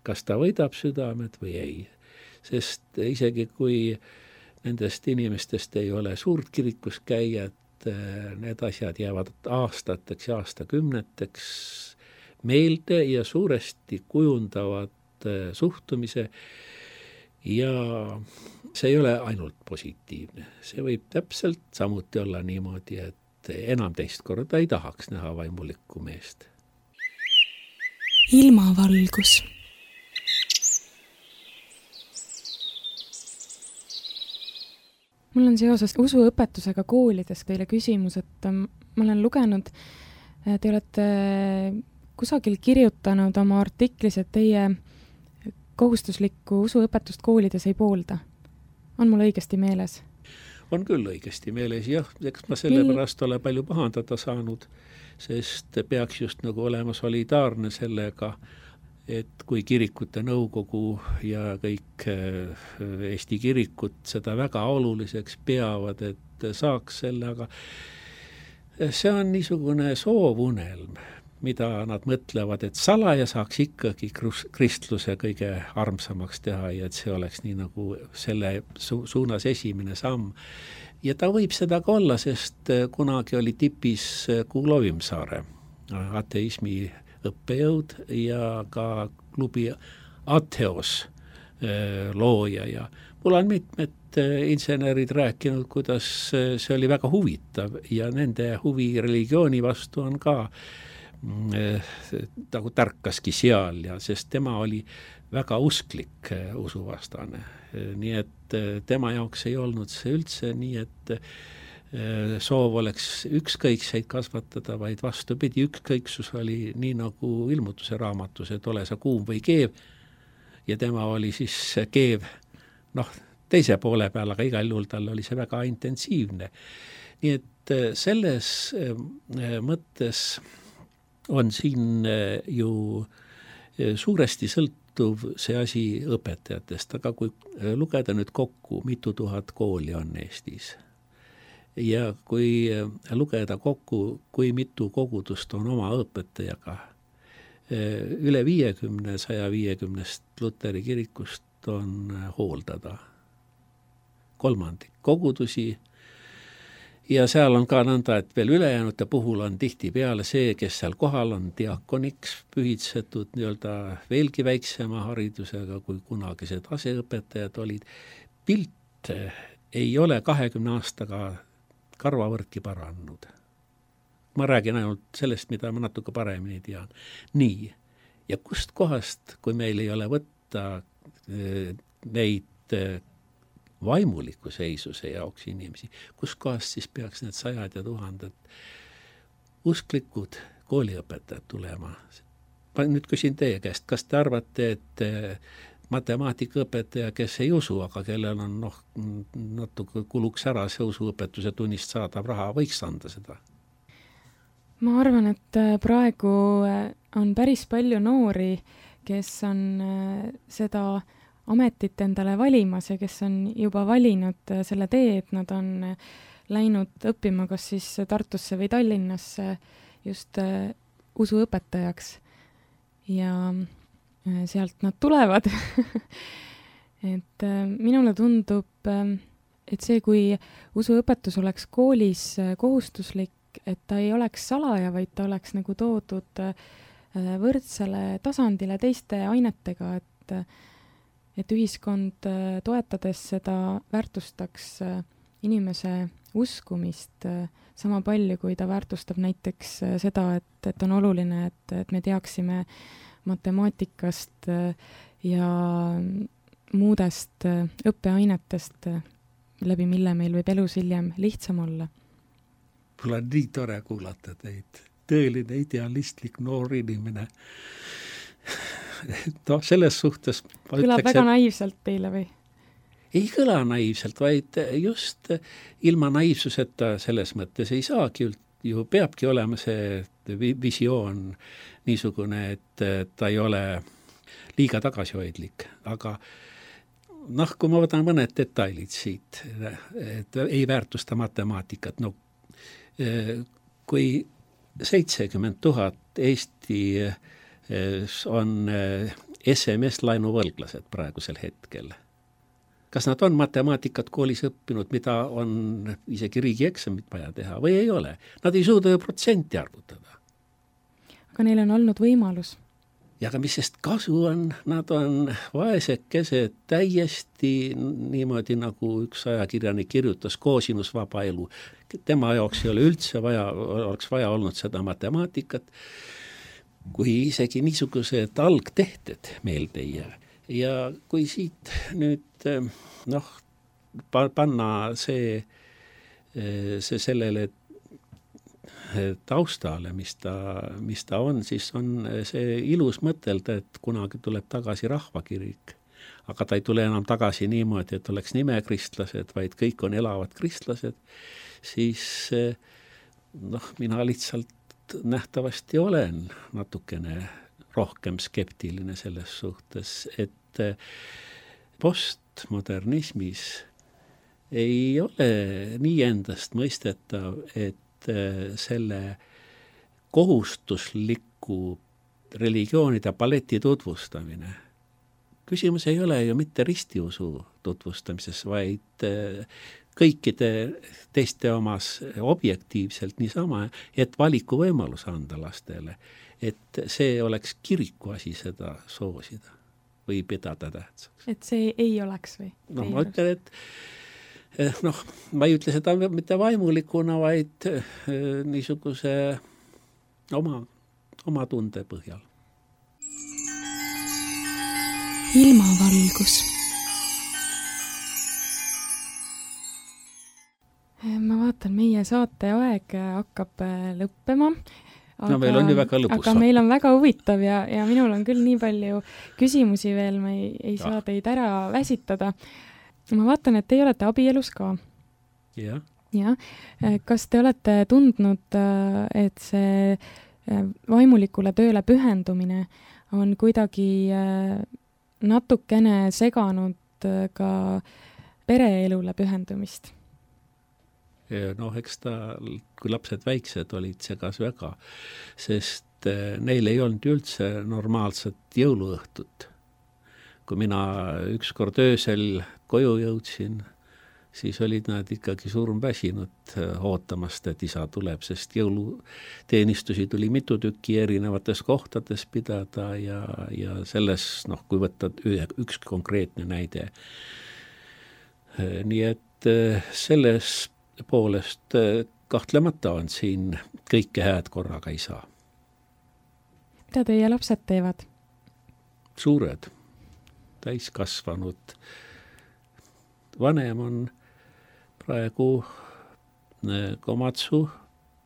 Kas ta võidab südamed või ei? Sest isegi kui nendest inimestest ei ole suurt kirikus käijat, need asjad jäävad aastateks ja aastakümneteks meelde ja suuresti kujundavad suhtumise ja see ei ole ainult positiivne. See võib täpselt samuti olla niimoodi, et enam teist korda ei tahaks näha vaimulikku meest. Ilmavalgus. Mul on seoses usuõpetusega koolides teile küsimus, et ma olen lugenud, te olete kusagil kirjutanud oma artiklis, et teie kohustuslikku usuõpetust koolides ei poolda. On mul õigesti meeles? On küll õigesti meeles, jah, eks ma sellepärast ole palju pahandada saanud, sest peaks just nagu olema solidaarne sellega, et kui kirikute nõukogu ja kõik Eesti kirikud seda väga oluliseks peavad, et saaks selle, aga see on niisugune soovunelm, mida nad mõtlevad, et salaja saaks ikkagi kristluse kõige armsamaks teha ja et see oleks nii nagu selle su- suunas esimene samm. Ja ta võib seda ka olla, sest kunagi oli tipis Kuulo Vimsaare, ateismi õppejõud ja ka klubi Ateos looja ja mul on mitmed insenerid rääkinud, kuidas see oli väga huvitav ja nende huvi religiooni vastu on ka nagu tärkaski seal ja sest tema oli väga usklik usuvastane. Nii et tema jaoks ei olnud see üldse nii, et soov oleks ükskõikseid kasvatada, vaid vastupidi, ükskõiksus oli nii nagu ilmutuse raamatus, et ole sa kuum või keev ja tema oli siis keev noh, teise poole peal, aga igal juhul tal oli see väga intensiivne. Nii et selles mõttes on siin ju suuresti sõltuv see asi õpetajatest, aga kui lugeda nüüd kokku, mitu tuhat kooli on Eestis ja kui lugeda kokku, kui mitu kogudust on oma õpetajaga, üle viiekümne, saja viiekümnest Luteri kirikust on hooldada kolmandik kogudusi ja seal on ka nõnda, et veel ülejäänute puhul on tihti peale see, kes seal kohal on diakoniks pühitsetud nii-öelda veelgi väiksema haridusega, kui kunagised aseõpetajad olid. Pilt ei ole kahekümne aastaga karvavõrdki parannud. Ma räägin ainult sellest, mida ma natuke paremini tean. Nii, ja kust kohast, kui meil ei ole võtta neid vaimuliku seisuse jaoks inimesi, kus kohast siis peaks need sajad ja tuhanded usklikud kooliõpetajad tulema. Ma nüüd küsin teie käest, kas te arvate, et matemaatikaõpetaja, kes ei usu, aga kellel on noh, natuke kuluks ära see usuõpetuse tunnist saadav raha, võiks anda seda? Ma arvan, et praegu on päris palju noori, kes on seda ametit endale valimas ja kes on juba valinud selle tee, et nad on läinud õppima kas siis Tartusse või Tallinnasse just usuõpetajaks ja sealt nad tulevad. et minule tundub, et see, kui usuõpetus oleks koolis kohustuslik, et ta ei oleks salaja, vaid ta oleks nagu toodud võrdsele tasandile teiste ainetega, et et ühiskond toetades seda väärtustaks inimese uskumist sama palju, kui ta väärtustab näiteks seda, et, et on oluline, et, et me teaksime matemaatikast ja muudest õppeainetest, läbi mille meil võib elus hiljem lihtsam olla. Mul on nii tore kuulata teid, tõeline idealistlik noor inimene. No selles suhtes ma kõlab ütleks, väga et naiivselt teile või? Ei kõla naiivselt, vaid just ilma naiivsuseta selles mõttes ei saagi, ju peabki olema see visioon niisugune, et ta ei ole liiga tagasihoidlik, aga noh, kui ma võtan mõned detailid siit, et ei väärtusta matemaatikat, no kui seitsekümmend tuhat Eesti on S M S-lainuvõlglased praegusel hetkel. Kas nad on matemaatikat koolis õppinud, mida on isegi riigieksamit vaja teha või ei ole? Nad ei suuda ju protsenti arvutada. Aga neil on olnud võimalus. ja aga mis sest kasu on, nad on vaesekesed täiesti niimoodi, nagu üks ajakirjanik kirjutas, koosinusvaba elu. Tema jaoks ei ole üldse vaja, oleks vaja olnud seda matemaatikat, kui isegi niisugused algtehted meelde ei jää. Ja kui siit nüüd noh, panna see, see sellele taustale, mis ta, mis ta on, siis on see ilus mõtelda, et kunagi tuleb tagasi rahvakirik. Aga ta ei tule enam tagasi niimoodi, et oleks nimekristlased, vaid kõik on elavad kristlased, siis noh, mina lihtsalt nähtavasti olen natukene rohkem skeptiline selles suhtes, et postmodernismis ei ole nii endast mõistetav, et selle kohustusliku religioonide paleti tutvustamine. Küsimus ei ole ju mitte ristiusu tutvustamises, vaid kõikide teiste omas objektiivselt niisama, et valikuvõimalus anda lastele, et see oleks kiriku asi seda soosida või pidada tähtsaks. Et see ei oleks või? No ma ütlen, et noh, ma ei ütle seda mitte vaimulikuna, vaid niisuguse oma, oma tunde põhjal. Ilmavalgus. Ma vaatan, meie saate aeg hakkab lõppema. Aga, no meil on ju väga lõbus. Aga saate. Meil on väga huvitav ja, ja minul on küll nii palju küsimusi veel, ma ei, ei saa teid ära väsitada. Ma vaatan, et te olete abielus ka. Ja. Ja. Kas te olete tundnud, et see vaimulikule tööle pühendumine on kuidagi natukene seganud ka pereelule pühendumist? Noh, eks ta, kui lapsed väiksed olid, segas väga, sest neil ei olnud üldse normaalset jõuluõhtut. Kui mina ükskord öösel koju jõudsin, siis olid nad ikkagi surmväsinud ootamast, et isa tuleb, sest jõuluteenistusi tuli mitu tükki erinevates kohtades pidada ja, ja selles, noh, kui võtta üks konkreetne näide. Nii et selles poolest kahtlemata on siin kõike hääd korraga ei saa. Mida teie lapsed teevad? Suured. Täiskasvanud. Vanem on praegu Komatsu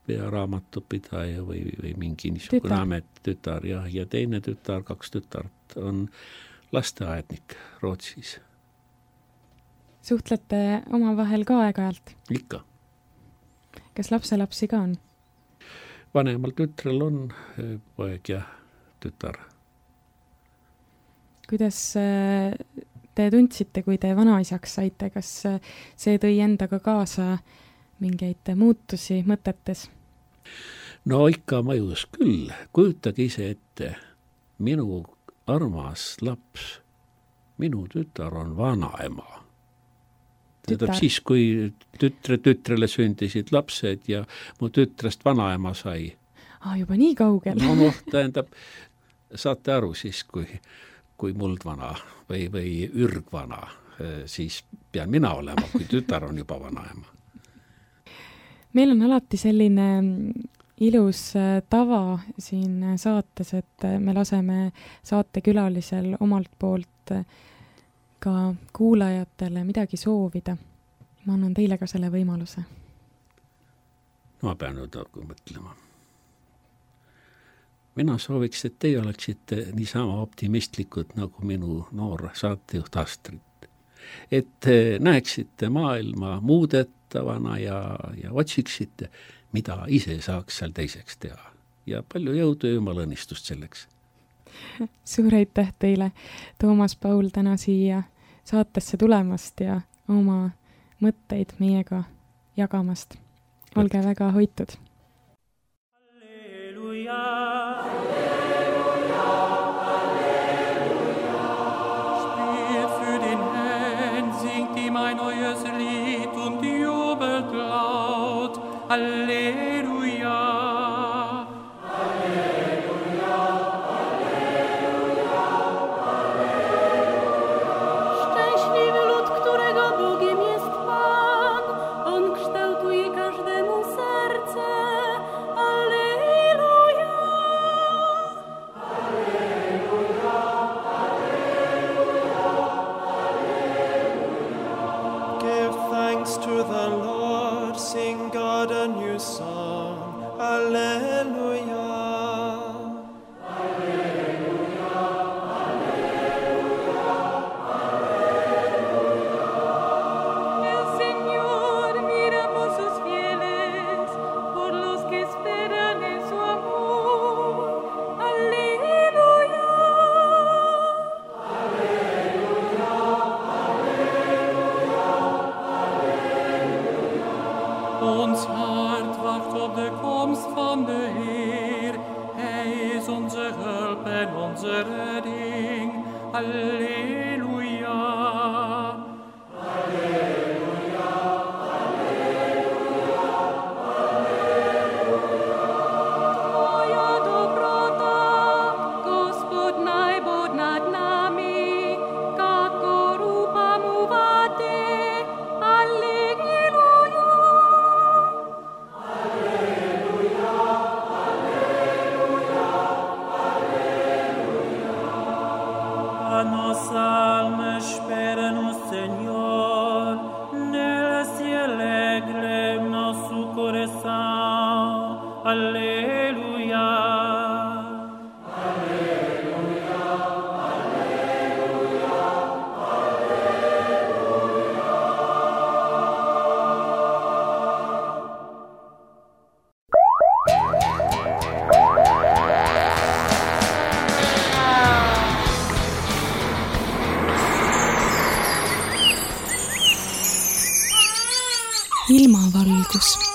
pearaamatupidaja või, või mingi niisugune amet tütar ja, ja teine tütar, kaks tütart on lasteaednik Rootsis. Suhtlete omavahel ka aeg-ajalt? Ikka. Kas lapselapsi ka on? Vanemal tütrel on poeg ja tütar. Kuidas te tundsite, kui te vanaisaks saite? Kas see tõi endaga kaasa mingeid muutusi mõtetes? No ikka mõjus küll. Kujutage ise ette, minu armas laps, minu tütar on vanaema. Tähendab siis, kui tütre tütrele sündisid lapsed ja mu tütrest vanaema sai. Ah, juba nii kaugel. No, no tähendab, saate aru siis, kui kui muldvana või, või ürgvana, siis pean mina olema, kui tütar on juba vanaema. Meil on alati selline ilus tava siin saates, et me laseme saatekülalisel omalt poolt ka kuulajatele midagi soovida. Ma annan teile ka selle võimaluse. No ma pean nüüd mõtlema. Mina sooviks, et teie oleksite niisama optimistlikud nagu minu noor saatejuht Astrid. Et näeksite maailma muudetavana ja, ja otsiksite, mida ise saaks seal teiseks teha. Ja palju jõudu ja jumala õnnistust selleks. Suur aitäh teile, Toomas Paul, täna siia saatesse tulemast ja oma mõtteid meiega jagamast. Olge väga hoitud. Halleluja! Halleluja. Halleluja, Halleluja. redding. Alleluia. Alleluia, alleluia, alleluia. Tvoja dobrota, Gospod najbod nad nami, kako rupa mu vate. Alleluia. Alleluia, alleluia, alleluia. A nos almas espera-nos, Senhor, nela se alegre nosso coração. Alleluia. Alleluia, alleluia, alleluia. ilmavalgus.